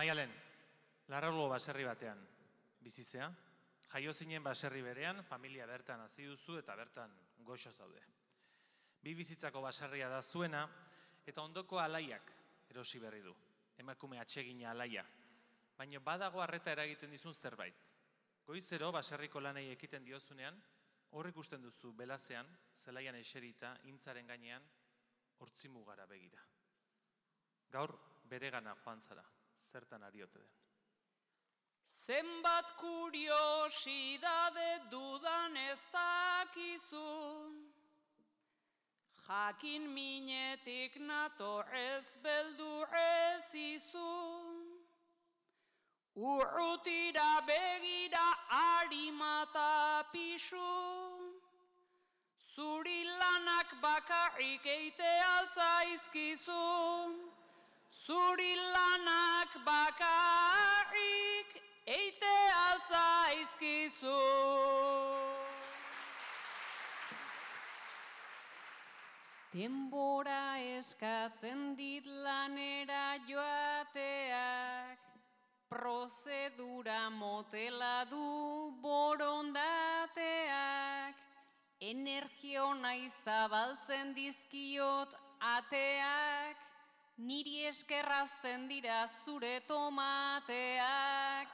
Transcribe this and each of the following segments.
Maialen, Larraulgo baserri batean bizizea, jaio zinen baserri berean, familia bertan hasi duzu eta bertan goxo zaude. Bi bizitzako baserria da zuena eta ondoko alaiak erosi berri du. Emakume atsegina alaia, baina badago arreta eragiten dizun zerbait. Goizero baserriko lanei ekiten diozunean, hor ikusten duzu belazean, zelaian eserita, intzaren gainean, hortzimugara begira. Gaur beregana joan zara, zertan ari ote den. Zenbat kuriosidade dudan ez dakizu, jakin minetik nator ez beldur ez izu. Urrutira begira harimata pisu, zuri lanak bakarrik eite altzaizkizu. Zuri lanak bakarrik eite altzaizkizu. Denbora eskatzen dit lanera joateak, prozedura motela du borondateak, energio nahi zabaltzen dizkiot ateak, niri eskerrazten dira zure tomateak,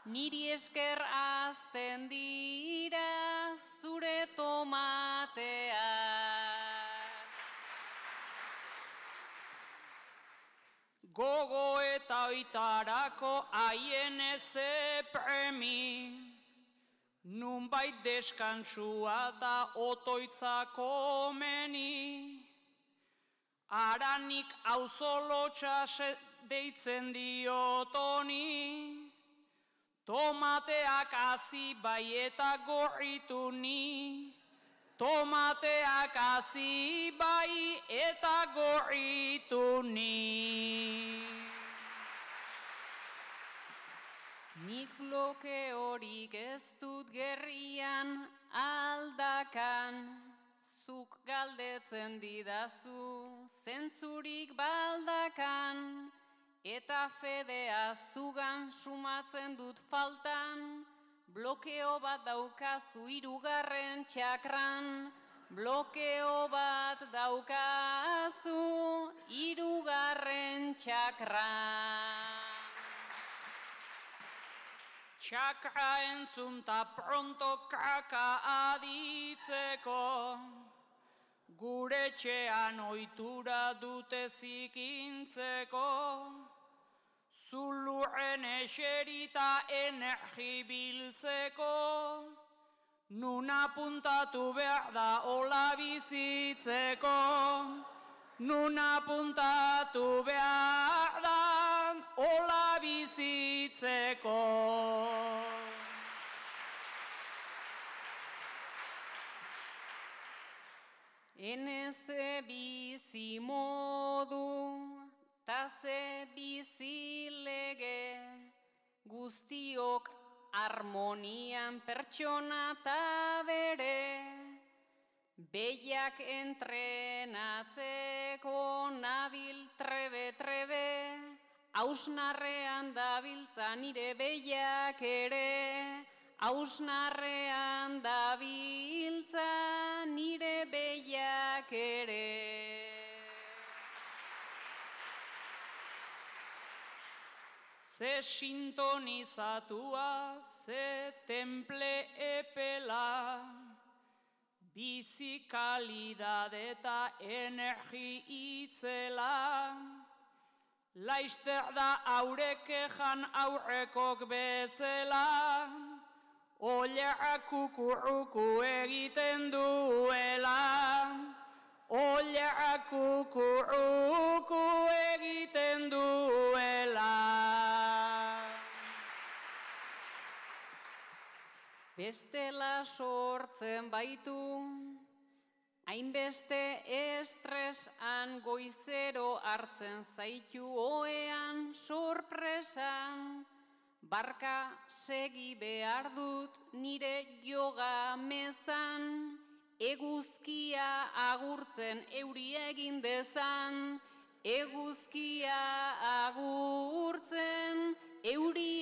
niri eskerrazten dira zure tomateak. Gogo eta oitarako haien eze premi, nunbait deskantsua da otoitzako meni. Aranik auzolotxa deitzen diotoni, tomateak hazi bai eta gorritu ni. Tomateak hazi bai eta gorritu ni. Nik bloke horik ez dut gerrian aldakan, zuk galdetzen didazu zentzurik baldakan, eta fedea zugan sumatzen dut faltan, blokeo bat daukazu hirugarren txakran, blokeo bat daukazu hirugarren txakran. Txakra entzun ta pronto kaka aditzeko, gure etxean ohitura dute zikintzeko, zulurren eserita energi biltzeko, nun apuntatu behar da hola bizitzeko, nun apuntatu behar da hola bizitzeko. Eneze bizi modu, ta ze bizi lege, guztiok harmonian pertsona ta bere, behiak entrenatzeko nabil trebe-trebe, hausnarrean dabiltza nire behiak ere, hausnarrean dabiltza nire behiak ere. Ze sintonizatua, ze temple epela, bizi kalidade eta energi itzela, laizter da aurek ejan aurrekok bezala, oileak kukurruku egiten duela, oileak kukurruku egiten duela. Bestela sortzen baitu, hainbeste estresan goizero hartzen zaitu oean sorpresan, barka segi behar dut nire yoga mezan, eguzkia agurtzen euri egin dezan, eguzkia agurtzen euri